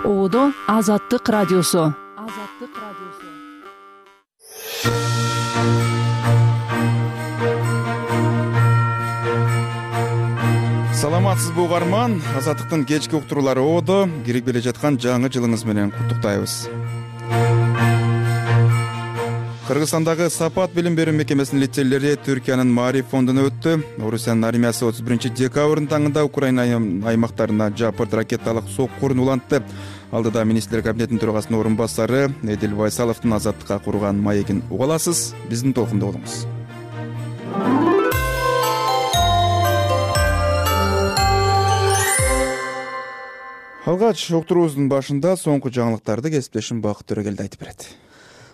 Оодо Азаттык радиосу. Саламатсызбы угарман, Азаттыктын кечки уктуруулары оодо кирип келе жаткан жаңы жылыңыз менен куттуктайбыз. Кыргызстандагы Сапат билим берүү мекемесинин лицейлери Түркиянын Маариф фондуна өттү. Орусиянын армиясы 31 декабрдын таңында Украина аймактарына жапырт ракеталык соккурун улантты. Алдыда министрлер кабинетинин төрагасынын орун басары Эдил Байсаловдун азаттыкка курган маегин уга аласыз. Биздин толкунда болуңуз. Алгач уктуруубуздун башында соңку жаңылыктарды кесиптешим Бакыт Төрөгелди айтып берет.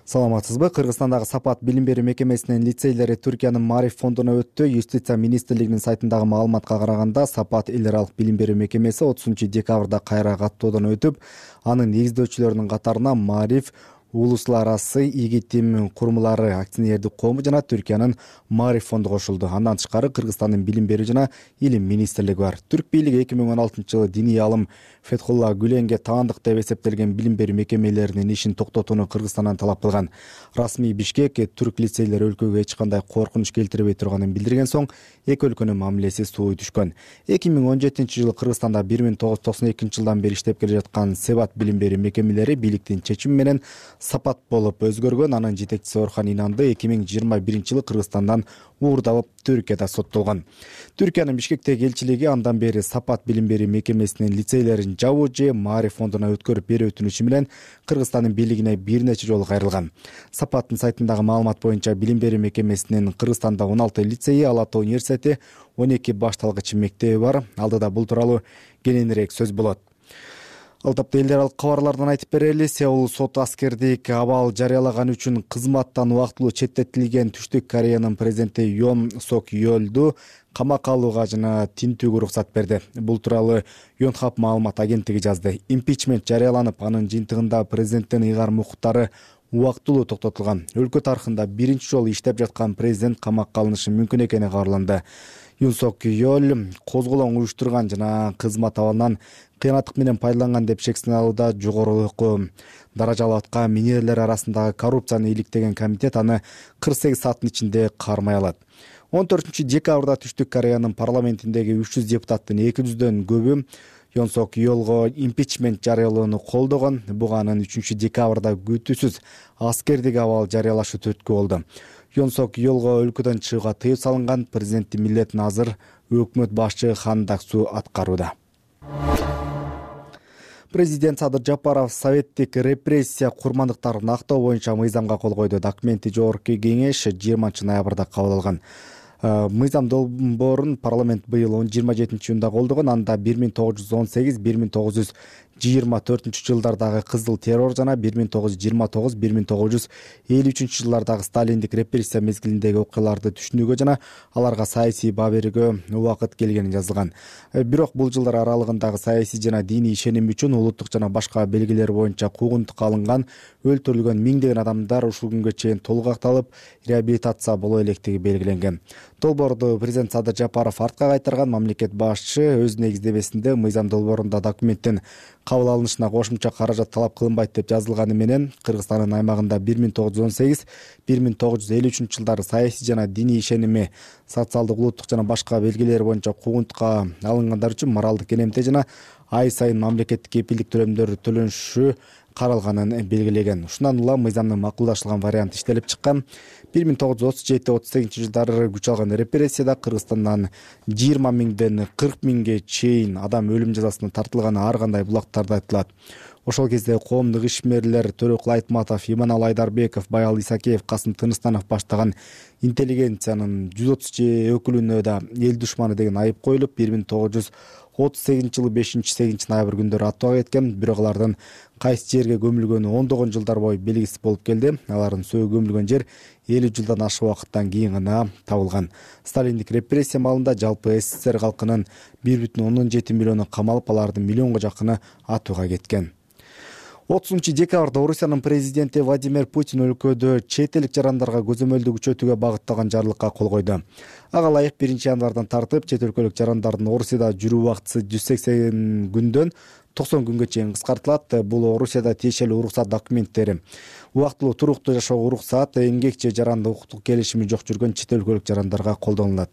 Саламатсызбы? Кыргызстандагы Сапат билим берүү мекемесинин лицейлери Түркиянын Маариф фондуна өттү. Юстиция министрлигинин сайтындагы маалыматка караганда, Сапат эл аралык билим берүү мекемеси 30 декабрда кайра каттоодон өтүп, анын негиздөөчүлөрүнүн катарына Маариф улуттар арасы ийгитим курумлары акционердик коому жана Түркиянын Маариф фонду кошулду. Андан тышкары Кыргызстандын билим берүү жана илим министрлиги бар. Түрк бийлиги 2016-жылы диний алым Фетхулла Гүленге таандык деп эсептелген билим берүү мекемелеринин ишин токтотууну Кыргызстандан талап кылган. Расмий Бишкек түрк лицейлери өлкөгө эч кандай коркунуч келтирбей турганын билдирген соң, эки өлкөнүн мамилеси сууй түшкөн. 2017-жылы Кыргызстанда 1992 жылдан бери иштеп келе жаткан Сапат билим берүү мекемелери бийликтин чечими менен Сапат болуп өзгөргөн. Анын жетекчиси Орхан Инанды 2021-жылы Кыргызстандан уурдалып Түркияда соттолгон. Түркиянын Бишкектеги элчилиги андан бери Сапат билим берүү мекемесинин лицейлерин жабуу же Маариф фондуна өткөрүп берүү өтүнүшү менен Кыргызстандын бийлигине бир нече жолу кайрылган. Сапаттын сайтындагы маалымат боюнча билим берүү мекемесинин Кыргызстанда 16 лицейи, Ала Тоо университети, 12 башталгыч мектеби бар. Алдыда бул тууралуу кененирээк сөз болот. Ал тапта эл аралык кабарлардан айтып берели. Сеул сот аскердик абал жарыялаган үчүн кызматтан убактылуу четтетилген Түштүк Кореянын президенти Йон Сок Йолду камакка алууга жана тинтүүгө уруксат берди. Бул тууралуу Yonhap маалымат агенттиги жазды. Импичмент жарыяланып, анын жыйынтыгында президенттин ыйгарым укуктары убактылуу токтотулган. Өлкө тарыхында биринчи жолу иштеп жаткан президент камакка алынышы мүмкүн экени кабарланды. Юн Сок Йол козголоң уюштурган жана кызмат абалынан кыянаттык менен пайдаланган деп шектелүүдө жогорулуку даражалуу атка минерлер арасындагы коррупцияны иликтеген комитет аны 48 сааттын ичинде кармай алат. 14 декабрда Түштүк Кореянын парламентиндеги 300 депутаттын 200дөн көбү Юн Сок Йолго импичмент жарыялоону колдогон. Буга анын 3 декабрда күтүүсүз аскердик абал жарыялашы түрткү болду. Юн Сок Йолго өлкөдөн чыгууга тыюу салынган. Президенттин милдетин азыр өкмөт башчы Хан Даксу аткарууда. Президент Садыр Жапаров советтик репрессия курмандыктарын актоо боюнча мыйзамга кол койду. Документи жогорку кеңеш 20 ноябрда кабыл алган. Мыйзам долбоорун парламент быйыл 27-июнда колдогон. Анда 1918-1924 жылдардагы кызыл террор жана 1929-1953 жылдардагы сталиндик репрессия мезгилиндеги окуяларды түшүнүүгө жана аларга саясий баа берүүгө убакыт келгени жазылган. Бирок бул жылдар аралыгындагы саясий жана диний ишеним үчүн улуттук жана башка белгилер боюнча куугунтукка алынган, өлтүрүлгөн миңдеген адамдар ушул күнгө чейин толук акталып, реабилитация боло электиги белгиленген. Долбоорду президент Садыр Жапаров артка кайтарган. Мамлекет башчы өз негиздемесинде мыйзам долбоорунда документтин кабыл алынышына кошумча каражат талап кылынбайт деп жазылганы менен Кыргызстандын аймагында 1918-1953 жылдары саясий жана диний ишеними, социалдык, улуттук жана башка белгилер боюнча куугунтукка алынгандар үчүн моралдык энемте жана ай сайын мамлекеттик кепилдик төлөмдөр төлөнүшү каралганын белгилеген. Ушундан улам мыйзамдын макулдашылган варианты иштелип чыккан. 1937-38 жылдары күч алган репрессияда Кыргызстандан 20 миңден 40 миңге чейин адам өлүм жазасына тартылганы ар кандай булактарда айтылат. Ошол кезде коомдук ишмерлер Төрөкул Айтматов, Иманалы Айдарбеков, Баял Исакеев, Касым Тыныстанов баштаган интеллигенциянын 130 өкүлүнө да эл душманы деген айып коюлуп, 1938-жылы 5-8 ноябрь күндөрү аттууга кеткен. Бирок алардын кайсы жерге көмүлгөнү ондогон жылдар бою белгисиз болуп келди. Алардын сөөгү көмүлгөн жер 50 жылдан ашык убакыттан кийин гана табылган. Сталиндик репрессия маалында жалпы СССР калкынын 1,17 миллиону камалып, алардын миллионго жакыны атууга кеткен. 30 декабрда Орусиянын президенти Владимир Путин өлкөдө чет элдик жарандарга көзөмөлдү күчөтүүгө багытталган жарлыкка кол койду. Ага ылайык 1 январдан тартып чет өлкөлүк жарандардын Орусияда жүрүү убактысы 180 күндөн 90 күнгө чейин кыскартылат. Бул Орусияда тиешелүү уруксат документтери. Убактылуу туруктуу жашоого уруксат эмгек же жарандык укуктук келишими жок жүргөн чет өлкөлүк жарандарга колдонулат.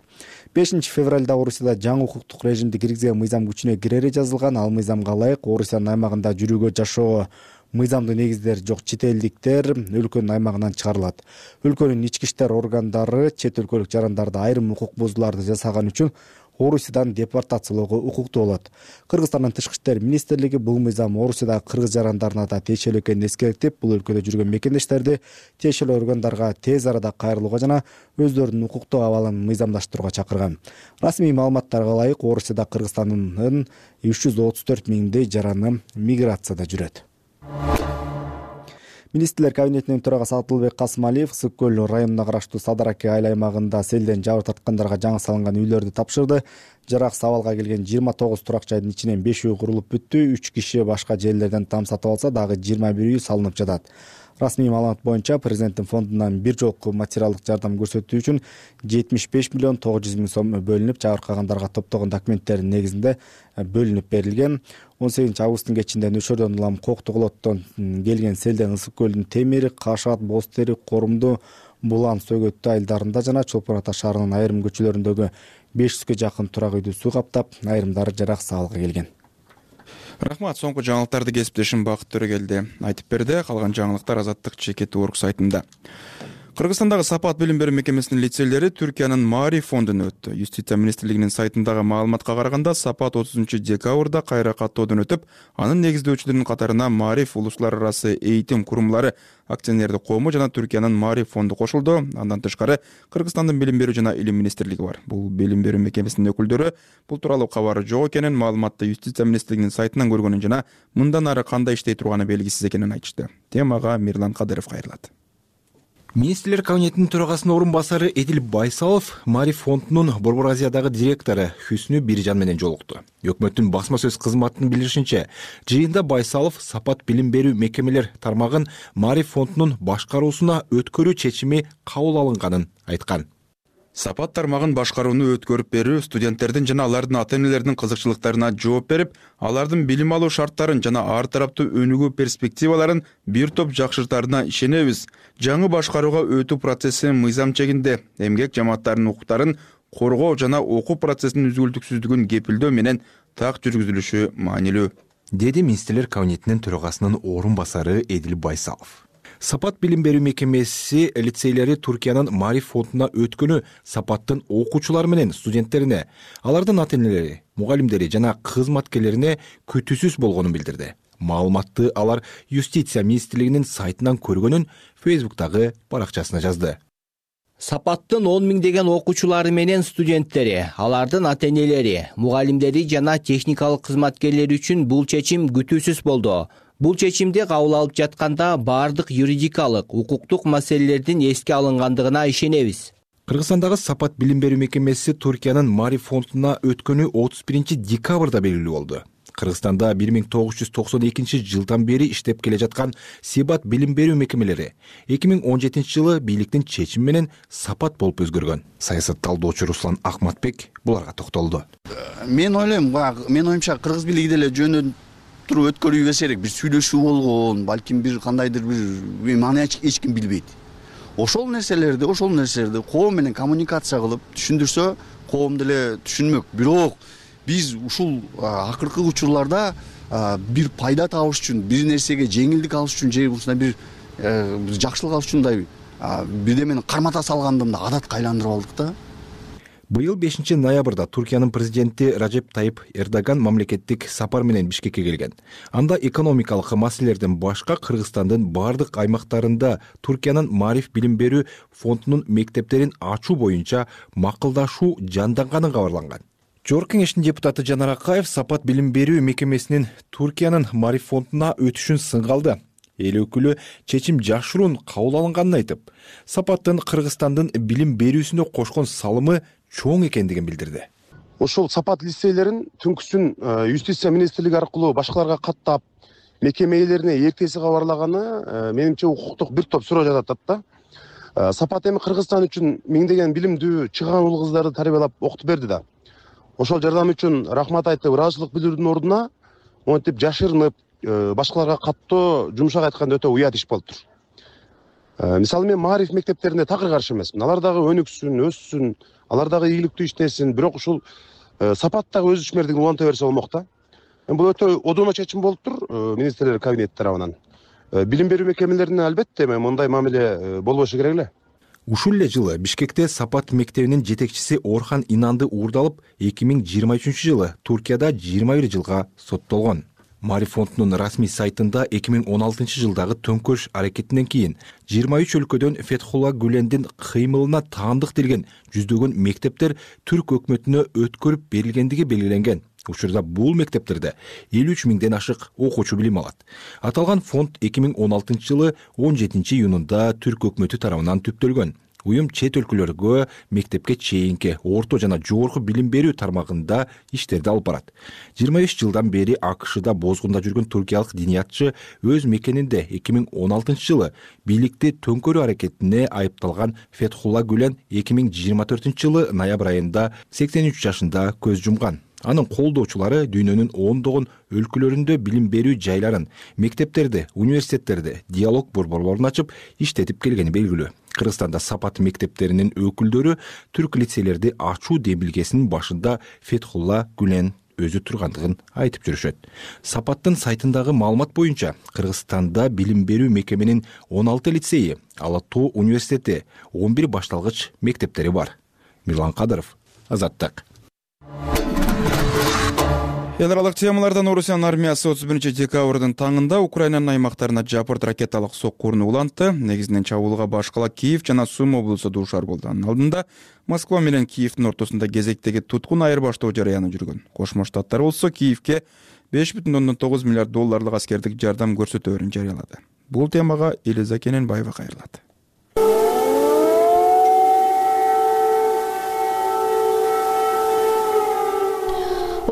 5 февралда Орусияда жаңы укуктук режимди киргизген мыйзам күчүнө кирери жазылган. Ал мыйзамга ылайык Орусиянын аймагында жүрүүгө жашоого мыйзамдуу негиздери жок чет элдиктер өлкөнүн аймагынан чыгарылат. Өлкөнүн ички иштер органдары чет өлкөлүк жарандарды айрым укук бузууларды жасаган үчүн Орусиядан депортациялоого укуктуу болот. Кыргызстандын тышкы иштер министрлиги бул мыйзам Орусиядагы кыргыз жарандарына да тиешелүү экенин эскертип, бул өлкөдө жүргөн мекендештерди тиешелүү органдарга тез арада кайрылууга жана өздөрүнүн укуктук абалын мыйзамдаштырууга чакырган. Расмий маалыматтарга ылайык Орусияда Кыргызстандын 334 миңдей жараны миграцияда жүрөт. Министрлер кабинетинин төрагасы Атылбек Касымалиев Ысык көл районуна караштуу Садараке айыл аймагында селден жабыр тарткандарга жаңы салынган үйлөрдү тапшырды. Жараксыз абалга келген 29 турак жайдын ичинен 5 үй курулуп бүттү. 3 киши башка жерлерден там сатып алса, дагы 21 үй салынып жатат. Расмий маалымат боюнча президенттин фондунан бир жолку материалдык жардам көрсөтүү үчүн 75 миллион 900 миң сом бөлүнүп, жабыркагандарга топтогон документтердин негизинде бөлүнүп берилген. 18 августтун кечинде Нөшөрдөн улам Коктуголоттон келген селден Ысык көлдүн Темир, Кашат, Бостери, Корумду, Булан, Сөгөттү айылдарында жана Чолпон Ата шаарынын айрым көчөлөрүндөгү 500гө жакын турак үйдү суу каптап, айрымдары жараксыз абалга келген. Рахмат, соңку жаңылыктарды кесиптешим Бакыт Төрөгелди айтып берди. Калган жаңылыктар Азаттык Чекет Орг сайтында. Кыргызстандагы Сапат билим берүү мекемесинин лицейлери Түркиянын Маариф фондуна өттү. Юстиция министрлигинин сайтындагы маалыматка караганда, Сапат 30-декабрда кайра каттоодон өтүп, анын негиздөөчүлөрүнүн катарына Маариф улуттар арасы эйтим курумлары акционердик коому жана Түркиянын Маариф фонду кошулду. Андан тышкары Кыргызстандын билим берүү жана илим министрлиги бар. Бул билим берүү мекемесинин өкүлдөрү бул тууралуу кабары жок экенин, маалыматты Юстиция министрлигинин сайтынан көргөнүн жана мындан ары кандай иштей турганы белгисиз экенин айтышты. Темага Мирлан Кадыров кайрылат. Министрлер кабинетинин төрагасынын орун басары Эдил Байсалов Маариф фондунун Борбор Азиядагы директору Хүснү Биржан менен жолукту. Өкмөттүн басма сөз кызматынын билдиришинче, жыйында Байсалов Сапат билим берүү мекемелер тармагын Маариф фондунун башкаруусуна өткөрүү чечими кабыл алынганын айткан. Сапат тармагын башкарууну өткөрүп берүү студенттердин жана алардын ата-энелеринин кызыкчылыктарына жооп берип, алардын билим алуу шарттарын жана ар тараптуу өнүгүү перспективаларын бир топ жакшыртаарына ишенебиз. Жаңы башкарууга өтүү процесси мыйзам чегинде эмгек жамааттарынын укуктарын коргоо жана окуу процессинин үзгүлтүксүздүгүн кепилдөө менен так жүргүзүлүшү маанилүү, деди министрлер кабинетинин төрагасынын орун басары Эдил Байсалов. Сапат билим берүү мекемеси лицейлери Түркиянын Маариф фондуна өткөнү Сапаттын окуучулары менен студенттерине, алардын ата-энелери, мугалимдери жана кызматкерлерине күтүүсүз болгонун билдирди. Маалыматты алар Юстиция министрлигинин сайтынан көргөнүн Фейсбуктагы баракчасына жазды. Сапаттын 10 миңдеген окуучулары менен студенттери, алардын ата-энелери, мугалимдери жана техникалык кызматкерлери үчүн бул чечим күтүүсүз болду. Бул чечимди кабыл алып жатканда баардык юридикалык, укуктук маселелердин эске алынгандыгына ишенебиз. Кыргызстандагы Сапат билим берүү мекемеси Түркиянын Маариф фондуна өткөнү 31-декабрда белгилүү болду. Кыргызстанда 1992 жылдан бери иштеп келе жаткан Сапат билим берүү мекемелери 2017 жылы бийликтин чечими менен Сапат болуп өзгөргөн. Саясат талдоочу Руслан Акматбек буларга токтолду. Мен оюмча кыргыз бийлиги деле жөнүндө туруп өткөрүү керек. Бир сүйлөшүү болгон, балким бир кандайдыр бир маны эч ким билбейт. Ошол нерселерди коом менен коммуникация кылып түшүндүрсө, коом деле түшүнмөк. Бирок биз ушул акыркы учурларда бир пайда табыш үчүн, бир нерсеге жеңилдик алыш үчүн же ушундай бир жакшылык алыш үчүн бирдемени кармата салгандымда адатка айландырып алдык да. Быйыл 5 ноябрда Түркиянын президенти Режеп Тайып Эрдоган мамлекеттик сапар менен Бишкекке келген. Анда экономикалык маселелерден башка Кыргызстандын бардык аймактарында Түркиянын Маариф билим берүү фондунун мектептерин ачуу боюнча макулдашуу жанданганын кабарланган. Жогорку кеңештин депутаты Жанар Акаев Сапат билим берүү мекемесинин Түркиянын Маариф фондуна өтүшүн сынга алды. Эл өкүлү чечим жакшыруун кабыл алынганын айтып, Сапаттын Кыргызстандын билим берүүсүнө кошкон салымы чоң экендигин билдирди. Ошол Сапат лицейлерин түнкүсүн Юстиция министрлиги аркылуу башкаларга каттап, мекеме ээлерине эртеси кабарлаганы менимче укуктук бир топ суроо жатат да. Сапат эми Кыргызстан үчүн миңдеген билимдүү чыгаан уул кыздарды тарбиялап окутуп берди да. Ошол жардам үчүн рахмат айтып, ыраазычылык билдирүүнүн ордуна монтип жашырынып башкаларга каттоо жумшак айтканда өтө уят иш болуп тур. Мисалы мен маариф мектептерине такыр каршы эмесмин. Алар дагы өнүксүн, өссүн, алар дагы ийгиликтүү иштесин, бирок ушул сапат дагы өз ишмердигин уланта берсе болмок да. Бул өтө одуна чечим болуп тур министрлер кабинети тарабынан. Билим берүү мекемелерине албетте мындай мамиле болбошу керек эле. Ушул эле жылы Бишкекте Сапат мектебинин жетекчиси Орхан Инанды уурдалып, 2023 жылы Туркияда 21 жылга соттолгон. Маариф фондунун расмий сайтында 2016 жылдагы төңкөрүш аракетинен кийин 23 өлкөдөн Фетхулла Гүлендин кыймылына таандык делген жүздөгөн мектептер түрк өкмөтүнө өткөрүп берилгендиги белгиленген. Учурда бул мектептерде 53 миңден ашык окуучу билим алат. Аталган фонд 2016 жылы 17 июнунда түрк өкмөтү тарабынан түптөлгөн. Уюм чет өлкөлөргө мектепке чейинки, орто жана жогорку билим берүү тармагында иштерди алып барат. 23 жылдан бери АКШда бозгунда жүргөн туркиялык диниятчы өз мекенинде 2016 жылы бийликти төңкөрүү аракетине айыпталган Фетхулла Гүлен 2024 жылы ноябрь айында 83 жашында көз жумган. Анын колдоочулары дүйнөнүн ондогон өлкөлөрүндө билим берүү жайларын, мектептерди, университеттерди, диалог борборлорун ачып иштетип келгени белгилүү. Кыргызстанда Сапат мектептеринин өкүлдөрү түрк лицейлерди ачуу демилгесинин башында Фетхулла Гүлен өзү тургандыгын айтып жүрүшөт. Сапаттын сайтындагы маалымат боюнча, Кыргызстанда билим берүү мекеменин 16 лицейи, Ала Тоо университети, 11 башталгыч мектептери бар. Мирлан Кадыров, Азаттык. Эл аралык темалардан Орусиянын армиясы 31 декабрдын таңында Украинанын аймактарына жапырт ракеталык соккууну улантты. Негизинен чабуулга башкала Киев жана Сум облусу дуушар болду. Анын алдында Москва менен Киевдин ортосунда кезектеги туткун айырбаштоо жарыяны жүргөн. Кошмо Штаттар болсо Киевке 5,9 миллиард долларлык аскердик жардам көрсөтөөрүн жарыялады. Бул темага Элиза Кененбаева кайрылат.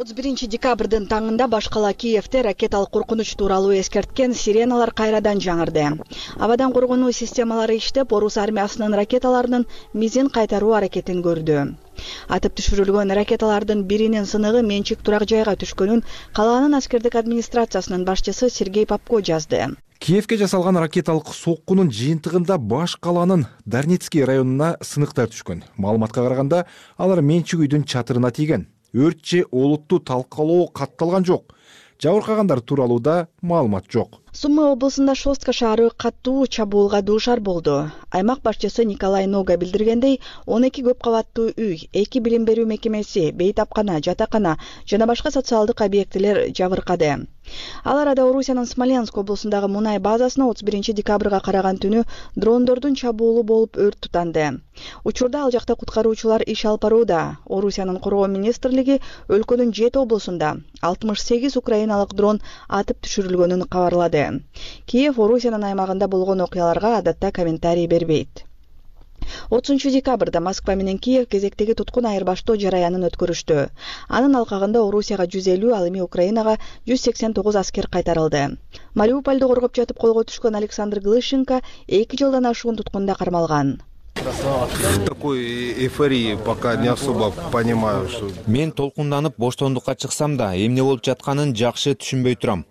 31 декабрдын таңында башкала Киевте ракеталык коркунуч тууралуу эскерткен сиреналар кайрадан жаңырды. Абадан коргонуу системалары иштеп, орус армиясынын ракеталарынын мизин кайтаруу аракетин көрдү. Атып түшүрүлгөн ракеталардын биринин сыныгы менчик турак жайга түшкөнүн калаанын аскердик администрациясынын башчысы Сергей Попко жазды. Киевке жасалган ракеталык соккунун жыйынтыгында баш калаанын Дарницкий районуна сыныктар түшкөн. Маалыматка караганда, алар менчик үйдүн чатырына тийген. Өрт же олуттуу талкалоо катталган жок. Жабыркагандар тууралуу да маалымат жок. Сумы облусунда Шостка шаары каттуу чабуулга дуушар болду. Аймак башчысы Николай Нога билдиргендей, 12 көп кабаттуу үй, 2 билим берүү мекемеси, бейтапкана, жатакана жана башка социалдык объектилер жабыркады. Ал арада Орусиянын Смоленск облусундагы мунай базасына 31 декабрга караган түнү дрондордун чабуулу болуп өрт тутанды. Учурда ал жакта куткаруучулар иш алып барууда. Орусиянын коргоо министрлиги өлкөнүн 7 облусунда 68 украиналык дрон атып түшүрүлгөнүн кабарлады. Киев Орусиянын аймагында болгон окуяларга адатта комментарий бербейт. 30 декабрда Москва менен Киев кезектеги туткун айырбаштоо жараянын өткөрүштү. Анын алкагында Орусияга 150, ал эми Украинага 189 аскер кайтарылды. Мариупольду коргоп жатып колго түшкөн Александр Глыщенко 2 жылдан ашуун туткунда кармалган. Такой эйфории пока не особо понимаю, что... Мен толкунданып боштондукка чыксам да, эмне болуп жатканын жакшы түшүнбөй турам.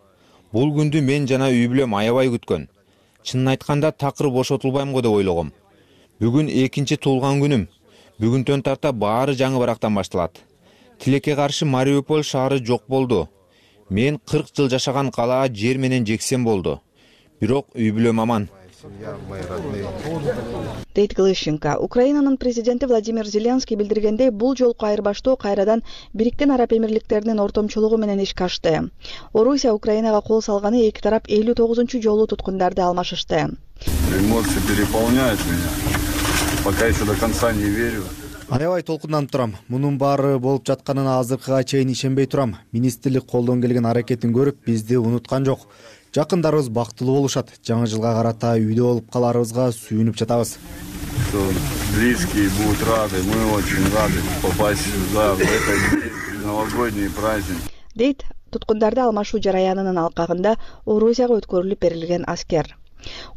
Бул күндү мен жана үй бүлөм аябай күткөн. Чынын айтканда такыр бошотулбайм го деп ойлогом. Бүгүн экинчи туулган күнүм. Бүгүнтөн тарта баары жаңы барактан башталат. Тилекке каршы Мариуполь шаары жок болду. Мен 40 жыл жашаган калаа жер менен жексен болду. Бирок үй бүлөм аман. Дейт Глыщенко. Украинанын президенти Владимир Зеленский билдиргендей, бул жолку айырбаштоо кайрадан Бириккен Араб Эмирликтеринин ортомчулугу менен ишке ашты. Орусия Украинага кол салганы эки тарап 59-жолу туткундарды алмашышты. Эмоции переполняют меня. Пока еще до конца не верю. Аябай толкунданып турам. Мунун баары болуп жатканына азыркыга чейин ишенбей турам. Министрлик колдон келген аракетин көрүп, бизди унуткан жок. Жакындарыбыз бактылуу болушат. Жаңы жылга карата үйдө болуп каларыбызга сүйүнүп жатабыз. Близкие будут рады, мы очень рады попасть сюда в этот новогодний праздник. Дейт туткундарды алмашуу жараянынын алкагында Орусияга өткөрүлүп берилген аскер.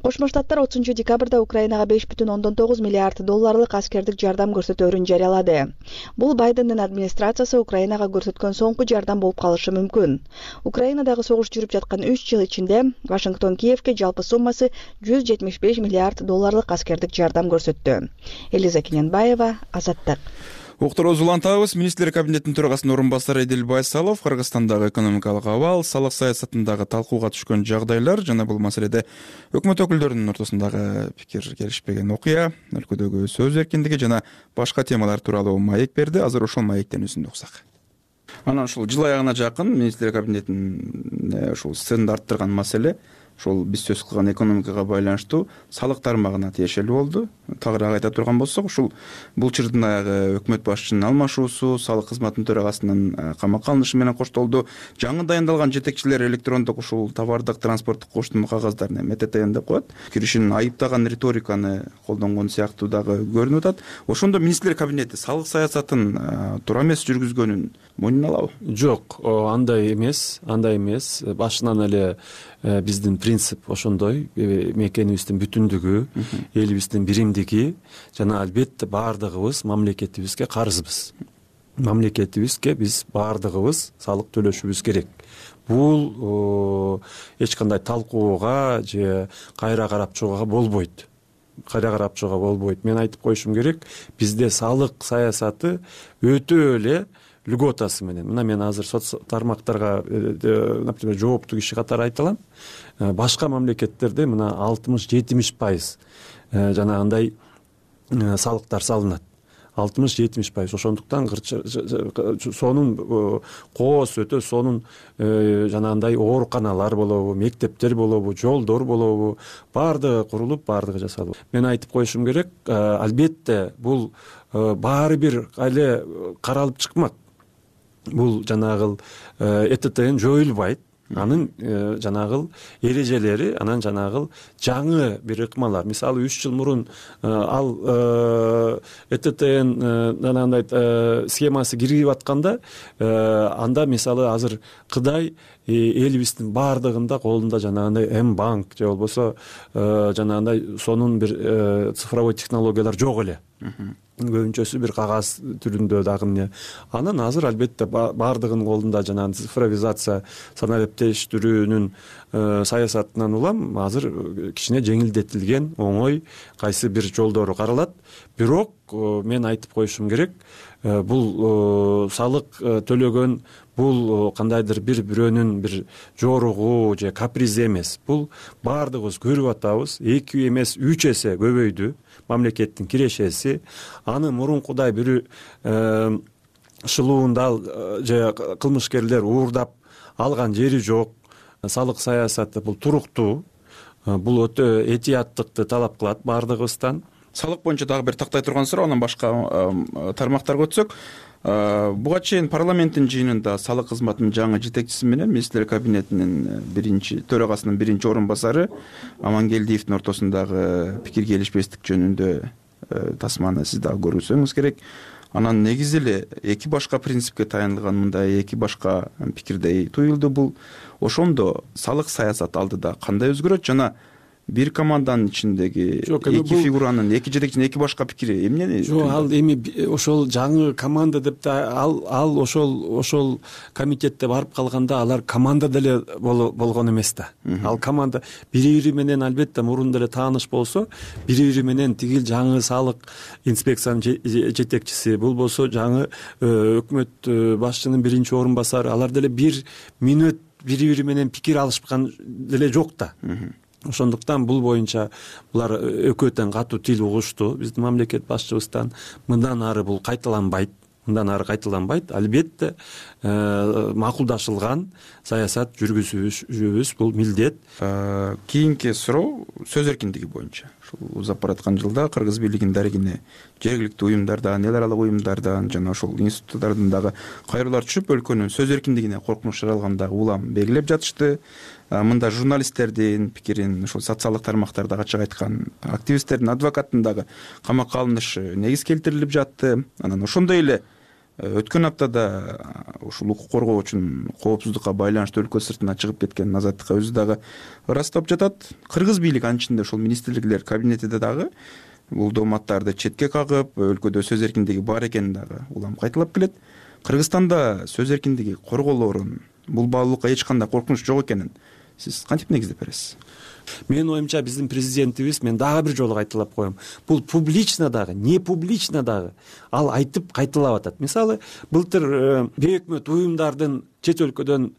Кошмо Штаттар 30 декабрда Украинага 5,9 миллиард долларлык аскердик жардам көрсөтөөрүн жарыялады. Бул Байдендин администрациясы Украинага көрсөткөн соңку жардам болуп калышы мүмкүн. Украинадагы согуш жүрүп жаткан 3 жыл ичинде Вашингтон Киевке жалпы суммасы 175 миллиард долларлык аскердик жардам көрсөттү. Элиза Кененбаева, Азаттык. Уктурууз улантабыз. Министрлер кабинетинин төрагасынын орун басары Эдил Байсалов Кыргызстандагы экономикалык абал, салык саясатындагы талкууга түшкөн жагдайлар жана бул маселеде өкмөт өкүлдөрүнүн ортосундагы пикир келишпеген окуя, өлкөдөгү сөз эркиндиги жана башка темалар тууралуу маек берди. Азыр ошол маектен үзүндү уксак. Анан ушул жыл аягына жакын министрлер кабинетинин ушул сценада арттырган маселе ошол биз сөз кылган экономикага байланыштуу салык тармагына тиешелүү болду. Тагыраак айта турган болсок, ушул бул чырдын аягы өкмөт башчынын алмашуусу, салык кызматынын төрагасынын камакка алынышы менен коштолду. Жаңы дайындалган жетекчилер электрондук ушул товардык транспорттук коштума кагаздарын МТТН деп коет. Киришин айыптаган риториканы колдонгон сыяктуу дагы көрүнүп атат. Ошондо министрлер кабинети салык саясатын туура эмес жүргүзгөнүн мойнуна алабы? Жок, андай эмес. Башынан эле биздин принцип ошондой, мекенибиздин бүтүндүгү, элибиздин биримдиги жана албетте баардыгыбыз мамлекетибизге карызбыз. Мамлекетибизге биз баардыгыбыз салык төлөшүбүз керек. Бул эч кандай талкууга же кайра карап чыгууга болбойт. Мен айтып коюшум керек, бизде салык саясаты өтө эле льготасы менен. Мына мен азыр соц тармактарга, например, жооптуу киши катары айта алам. Башка мамлекеттерде мына 60-70% жанагындай салыктар салынат. 60-70%. Ошондуктан сонун коос өтө, сонун жанагындай ооруканалар болобу, мектептер болобу, жолдор болобу, баардыгы курулуп, баардыгы жасалып. Мен айтып коюшум керек, албетте бул баары бир эле каралып чыкмак. Бул жанагыл ЭТТН жоюлбайт. Анын жанагыл эрежелери, анан жанагыл жаңы бир ыкмалар. Мисалы 3 жыл мурун ал ЭТТН жанагындай схемасы кирип атканда, анда мисалы азыр Кытай элибиздин баардыгында колунда жанагындай М-банк же болбосо жанагындай сонун бир цифровой технологиялар жок эле. Көбүнчөсү бир кагаз түрүндө дагы эмне. Анан азыр албетте баардыгынын колунда жанагы цифровизация, санариптештирүүнүн саясатынан улам азыр кичине жеңилдетилген, оңой кайсы бир жолдору каралат. Бирок мен айтып коюшум керек, бул салык төлөгөн бул кандайдыр бир-бирөөнүн бир жоругу же капризи эмес. Бул баардыгыбыз көрүп атабыз, 2 эмес 3 эсе көбөйдү мамлекеттин кирешеси. Аны мурункудай бир шылуунда же кылмышкерлер уурдап алган жери жок. Салык саясаты бул туруктуу, бул өтө этияттыкты талап кылат баардыгыбыздан. Салык боюнча дагы бир тактай турган суроо, анан башка тармактарга өтсөк, буга чейин парламенттин жыйынында салык кызматынын жаңы жетекчиси менен министрлер кабинетинин төрагасынын биринчи орун басары Амангелдиевдин ортосундагы пикир келишпестик жөнүндө тасманы сиз дагы көрсөңүз керек. Анан негизи эле эки башка принципке таянылган мындай эки башка пикирдей туюлду. Бул ошондо салык саясат алдыда кандай өзгөрөт жана бир команданын ичиндеги эки фигуранын, эки жетекчинин эки башка пикири эмнени? Жок, ал эми ошол жаңы команда деп да ал ошол комитетте барып калганда алар команда деле болгон эмес да. Ал команда бири-бири менен албетте мурун деле тааныш болсо, бири-бири менен тигил жаңы салык инспекциянын жетекчиси, болбосо жаңы өкмөт башчынын биринчи орун басары, алар деле бир мүнөт бири-бири менен пикир алышкан деле жок да. Ошондуктан бул боюнча булар экөө тең катуу тил угушту. Биздин мамлекет башчыбыздан мындан ары бул кайталанбайт. Албетте макулдашылган саясат жүргүзүүбүз бул милдет. Кийинки суроо сөз эркиндиги боюнча. Ушул узап бараткан жылда Кыргыз бийлигинин дарегине жергиликтүү уюмдардан, эл аралык уюмдардан жана ошол институттардан дагы кайрылуулар түшүп, өлкөнүн сөз эркиндигине коркунуч жаралгандагы улам белгилеп жатышты. Мында журналисттердин пикирин, ошол социалдык тармактарда ачык айткан активисттердин, адвокаттын дагы камакка алынышы негиз келтирилип жатты. Анан ошондой эле Өткөн аптада ушул укук коргоочунун коопсуздукка байланыштуу өлкө сыртына чыгып кеткен Азаттыкка өзү дагы ырастап жатат. Кыргыз бийлиги анын ичинде ошол министрликтер кабинетиде дагы бул дооматтарды четке кагып, өлкөдө сөз эркиндиги бар экенин дагы улам кайталап келет. Кыргызстанда сөз эркиндиги корголоорун, бул баалуулукка эч кандай коркунуч жок экенин сиз кантип негиздеп бересиз? Менин оюмча биздин президентибиз, мен дагы бир жолу кайталап коем, бул публично дагы, не публично дагы ал айтып кайталап атат. Мисалы, былтыр бейөкмөт уюмдардын чет өлкөдөн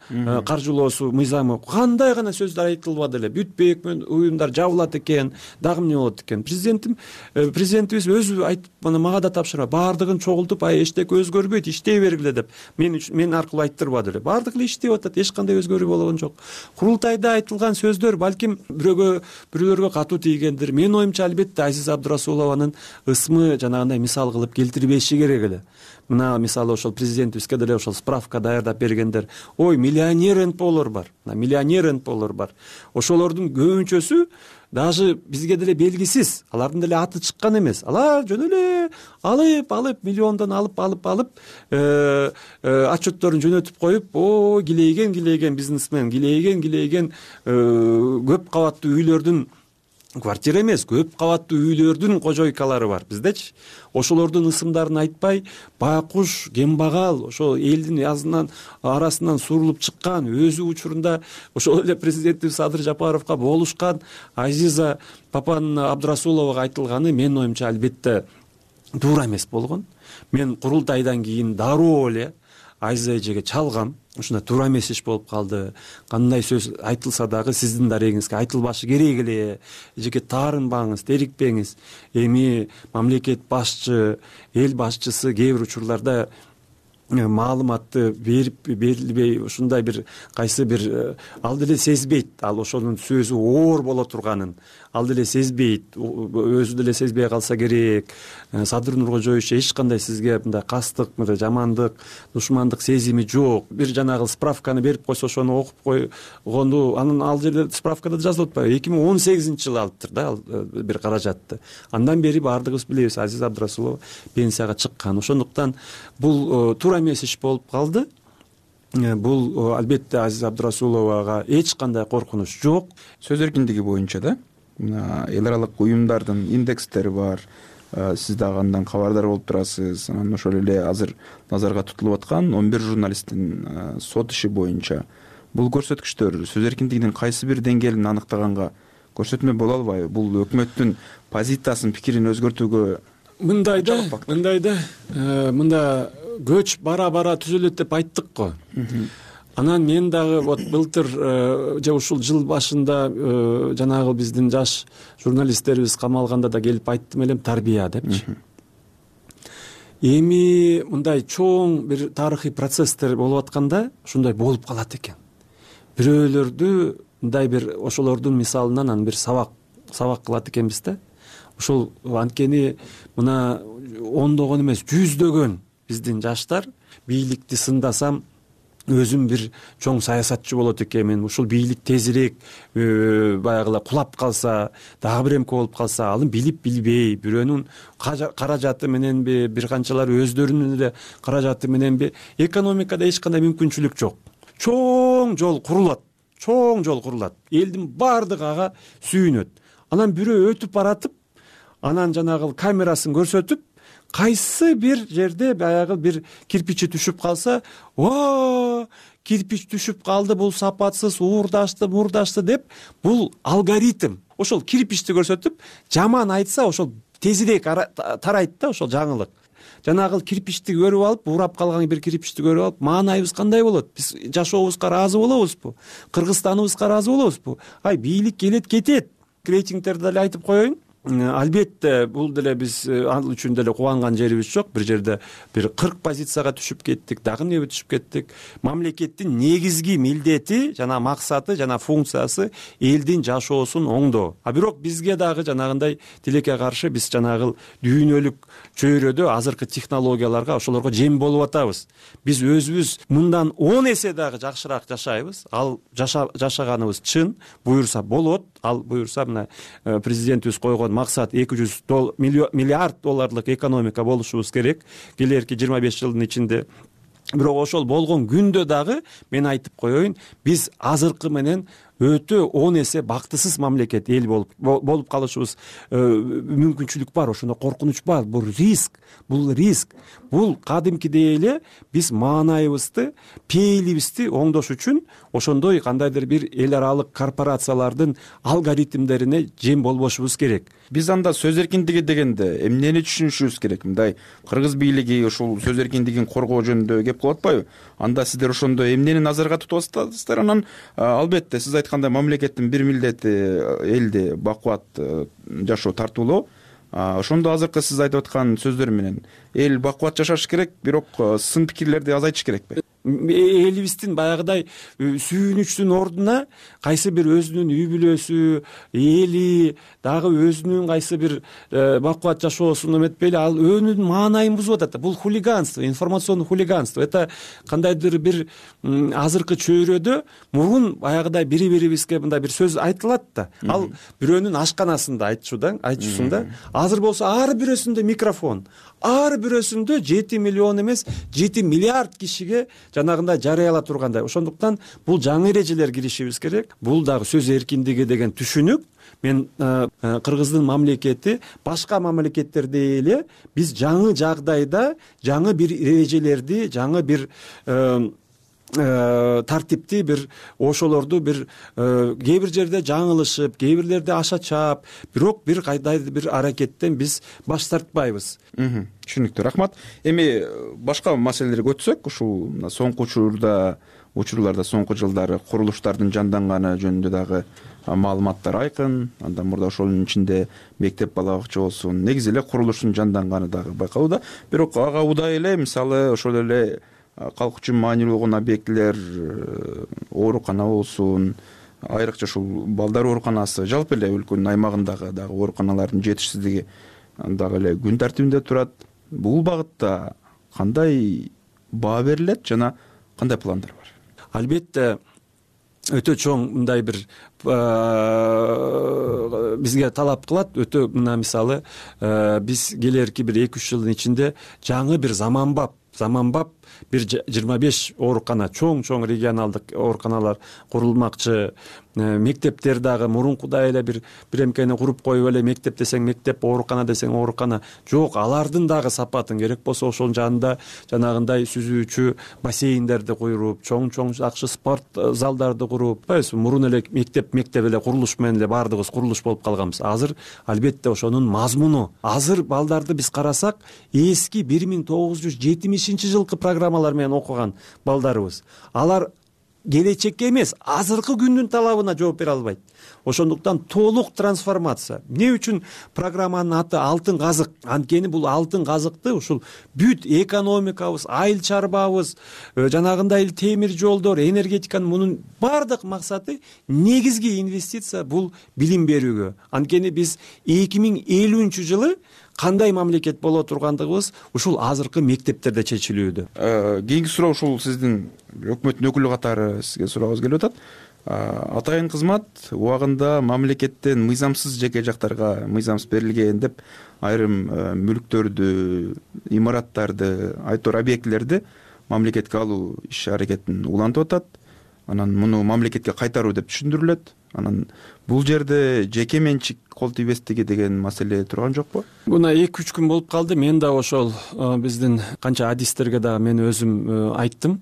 каржылоосу мыйзамы кандай гана сөздөр айтылбады эле. Бүт бейөкмөт уюмдар жабылат экен, дагы эмне болот экен. Президентибиз өзү айтып, мага да тапшырма, баардыгын чогултуп, эчтеке өзгөрбөйт, иштей бергиле деп мен аркылуу айттырбады эле. Баардыгы эле иштеп атат, эч кандай өзгөрүү болгон жок. Курултайда айтылган сөздөр балким бирөөлөргө катуу тийгендир. Менин оюмча албетте Азиз Абдрасулованын ысмы жанагындай мисал кылып келтирбеши керек эле. Мына мисалы ошол президентибизге деле ошол справка даярдап бергендер. Ой, миллионер НПОлор бар. Миллионер НПОлор бар. Ошолордун көбүнчөсү даже бизге деле белгисиз. Алардын деле аты чыккан эмес. Алар жөн эле алып миллиондон алып отчетторун жөнөтүп коюп, килейген бизнесмен, килейген көп кабаттуу үйлөрдүн, квартира эмес, көп кабаттуу үйлөрдүн кожойкалары бар. Биздечи ошолордун ысымдарын айтпай, байкуш, кембагал, ошол элдин арасынан сурулуп чыккан, өзү учурунда ошол эле президентибиз Садыр Жапаровго болушкан Азиза Папан Абдрасуловага айтылганы менин оюмча албетте туура эмес болгон. Мен курултайдан кийин дароо эле Азиза эжеге чалгам. Ушундай туура эмес иш болуп калды. Кандай сөз айтылса дагы сиздин дарегиңизге айтылбашы керек эле. Эжеке таарынбаңыз, терикпеңиз. Эми мамлекет башчы, эл башчысы кээ бир учурларда маалыматты берилбей, ушундай бир кайсы бир ал деле сезбейт, ал ошонун сөзү оор боло турганын ал деле сезбейт, өзү деле сезбей калса керек. Садыр Нуркожоевич эч кандай сизге мындай кастык, мындай жамандык, душмандык сезими жок. Бир жанагы справканы берип койсо ошону окуп койгонду, анын ал жерде справкада жазылып атпайбы, 2018-жылы алыптыр да ал бир каражатты. Андан бери баардыгыбыз билебиз, Азиз Абдрасулова пенсияга чыккан. Ошондуктан бул туура эмес иш болуп калды. Бул албетте Азиз Абдрасуловага эч кандай коркунуч жок. Сөз эркиндиги боюнча да эл аралык уюмдардын индекстери бар. Сиз дагы андан кабардар болуп турасыз. Анан ошол эле азыр назарга тутулуп аткан 11 журналисттин сот иши боюнча бул көрсөткүчтөр сөз эркиндигинин кайсы бир деңгээлин аныктаганга көрсөтмө боло албайбы? Бул өкмөттүн позициясын, пикирин өзгөртүүгө мында көч бара түзөлөт деп айттык го. Анан мен дагы былтыр же ушул жыл башында жанагы биздин жаш журналисттерибиз камалганда да келип айттым элем, тарбия депчи. Эми мындай чоң бир тарыхый процесстер болуп атканда ушундай болуп калат экен. Бирөөлөрдү мындай бир ошолордун мисалынан анан бир сабак кылат экенбиз да. Ошол анткени мына ондогон эмес, жүздөгөн биздин жаштар бийликти сындасам өзүм бир чоң саясатчы болот экенмин, ушул бийлик тезирээк баягыла кулап калса, дагы бир эмке болуп калса, аны билип билбей, бирөөнүн каражаты мененби, бир канчалары өздөрүнүн эле каражаты мененби, экономикада эч кандай мүмкүнчүлүк жок. Чоң жол курулат. Элдин баардыгы ага сүйүнөт. Анан бирөө өтүп баратып, анан жанагы камерасын көрсөтүп, кайсы бир жерде баягы бир кирпичи түшүп калса, кирпич түшүп калды, бул сапатсыз, уурдашты деп, бул алгоритм. Ошол кирпичти көрсөтүп, жаман айтса, ошол тезирээк тарайт да ошол жаңылык. Жанагы кирпичти көрүп алып, урап калган бир кирпичти көрүп алып, маанайыбыз кандай болот? Биз жашообузга ыраазы болобузбу? Кыргызстаныбызга ыраазы болобузбу? Бийлик келет кетет. Рейтингтерди деле айтып коеюн. Албетте бул деле биз ал үчүн деле кубанган жерибиз жок. Бир жерде бир 40 позицияга түшүп кеттик, дагы эмне түшүп кеттик. Мамлекеттин негизги милдети жана максаты жана функциясы элдин жашоосун оңдоо. Бирок бизге дагы жанагындай тилекке каршы биз жанагы дүйнөлүк чөйрөдө азыркы технологияларга, ошолорго жем болуп атабыз. Биз өзүбүз мындан 10 эсе дагы жакшыраак жашайбыз. Ал жашаганыбыз чын, буюрса болот. Ал буюрса мына президентибиз койгон максат 200 миллиард долларлык экономика болушубуз керек келерки 25 жылдын ичинде. Бирок ошол болгон күндө дагы мен айтып коеюн, биз азыркы менен өтө 10 эсе бактысыз мамлекет эл болуп калышыбыз мүмкүнчүлүк бар. Ошондо коркунуч бар. Бул риск. Бул кадимкидей эле биз маанайыбызды, пейилибизди оңдош үчүн ошондой кандайдыр бир эл аралык корпорациялардын алгоритмдерине жем болбошубуз керек. Биз анда сөз эркиндиги дегенде эмнени түшүнүшүбүз керек? Мындай кыргыз бийлиги ушул сөз эркиндигин коргоо жөнүндө кеп кылып атпайбы? Анда сиздер ошондо эмнени назарга тутуп атасыздар? Анан албетте сиз айткандай мамлекеттин бир милдети элди бакубат жашоо тартуулоо. Ошондо азыркы сиз айтып аткан сөздөр менен эл бакубат жашаш керек, бирок сын пикирлерди азайтыш керекпи? Элибиздин баягыдай сүйүнүчтүн ордуна кайсы бир өзүнүн үй бүлөсү, эли дагы өзүнүн кайсы бир бакубат жашоосун эметпейли, ал өнүн маанайын бузуп атат. Бул хулиганство, информационный хулиганство. Это кандайдыр бир азыркы чөйрөдө мурун баягыдай бири-бирибизге мындай бир сөз айтылат да. Ал бирөөнүн ашканасында айтышуусунда. Азыр болсо ар бирөөсүндө микрофон, ар бирөөсүндө 7 миллион эмес 7 миллиард кишиге жанагындай жарыяла тургандай. Ошондуктан бул жаңы эрежелер киришибиз керек. Бул дагы сөз эркиндиги деген түшүнүк. Мен Кыргыздын мамлекети башка мамлекеттердей эле биз жаңы жагдайда жаңы бир эрежелерди, жаңы бир тартипти бир ошолорду бир кээ бир жерде жаңылышып, кээ бирлерде аша чаап, бирок бир кайдайдыр бир аракеттен биз баш тартпайбыз. Түшүнүктүү, рахмат. Эми башка маселелерге өтсөк, ушул соңку учурларда соңку жылдары курулуштардын жанданганы жөнүндө дагы маалыматтар айкын. Андан мурда ошонун ичинде мектеп бала бакча болсун, негизи эле курулуштун жанданганы дагы байкалууда. Бирок ага удай эле мисалы ошол эле калк үчүн маанилүү болгон объектилер, оорукана болсун, айрыкча ушул балдар ооруканасы, жалпы эле өлкөнүн аймагындагы дагы ооруканалардын жетишсиздиги дагы эле күн тартибинде турат. Бул багытта кандай баа берилет жана кандай пландар бар? Албетте өтө чоң мындай бир бизге талап кылат. Өтө мына мисалы биз келерки бир 2-3 жылдын ичинде жаңы бир заманбап бир 25 оорукана, чоң регионалдык ооруканалар курулмакчы. Мектептер дагы мурункудай эле бир эмкени куруп коюп эле мектеп десең мектеп, оорукана десең оорукана. Жок, алардын дагы сапатын керек болсо ошонун жанында жанагындай сүзүүчү бассейндерди куюп, чоң жакшы спорт залдарды куруп, мурун эле мектеп эле курулуш менен эле баардыгыбыз курулуш болуп калганбыз. Азыр албетте ошонун мазмуну. Азыр балдарды биз карасак, эски 1970 жылкы программалар менен окуган балдарыбыз. Алар келечекке эмес, азыркы күндүн талабына жооп бере албайт. Ошондуктан толук трансформация. Эмне үчүн программанын аты алтын казык? Анткени бул алтын казыкты ушул бүт экономикабыз, айыл чарбабыз, жанагындай темир жолдор, энергетиканын мунун бардык максаты негизги инвестиция бул билим берүүгө. Анткени биз 2050-жылы кандай мамлекет боло тургандыгыбыз ушул азыркы мектептерде чечилүүдө. Кийинки суроо ушул сиздин өкмөттүн өкүлү катары сизге сурагыбыз келип атат. Атайын кызмат убагында мамлекеттен мыйзамсыз жеке жактарга мыйзамсыз берилген деп айрым мүлктөрдү, имараттарды, айтор объектилерди мамлекетке алуу иш аракетин улантып атат. Анан муну мамлекетке кайтаруу деп түшүндүрүлөт. Анан бул жерде жеке менчик кол тийбестиги деген маселе турган жокпу? Мына 2-3 күн болуп калды. Мен да ошол биздин канча адистерге да мен өзүм айттым,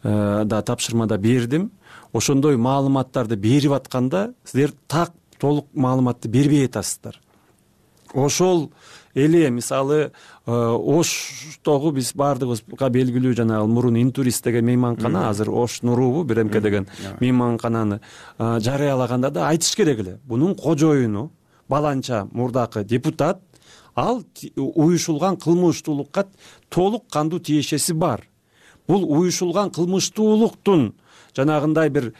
да тапшырмада бердим. Ошондой маалыматтарды берип атканда сиздер так толук маалыматты бербей атасыздар. Ошол эле мисалы Оштогу биз баардыгыбызга белгилүү жанагы мурун Интурист деген мейманкана, азыр Ош Нурубу Биремке деген мейманкананы жарыялаганда да айтыш керек эле. Бунун кожоюну баланча мурдакы депутат, ал уюшулган кылмыштуулукка толук кандуу тиешеси бар. Бул уюшулган кылмыштуулуктун жанагындай бир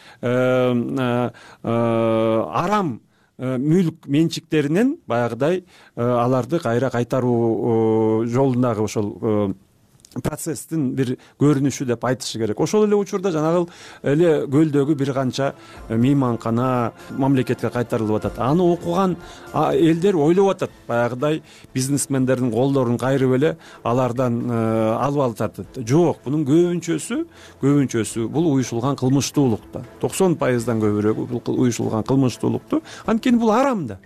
арам мүлк менчиктеринен баягыдай аларды кайра кайтаруу жолундагы ошол процесстин бир көрүнүшү деп айтышы керек. Ошол эле учурда жанагы эле көлдөгү бир канча мейманкана мамлекетке кайтарылып атат. Аны окуган элдер ойлоп атат, баягыдай бизнесмендердин колдорун кайрып эле алардан алып атат. Жок, бунун көбүнчөсү бул уюшулган кылмыштуулукта. 90%дан көбүрөөгү бул уюшулган кылмыштуулукту. Анткени бул арам да.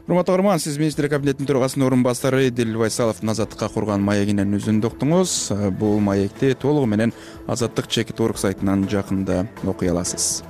Урматтуу көрөрман, сиз министрлер кабинетинин төрагасынын орун басары Эдил Байсаловдун Азаттыкка курган маегинен үзүндү уктуңуз. Бул маекти толугу менен Азаттык чекит орг сайтынан жакында окуй аласыз.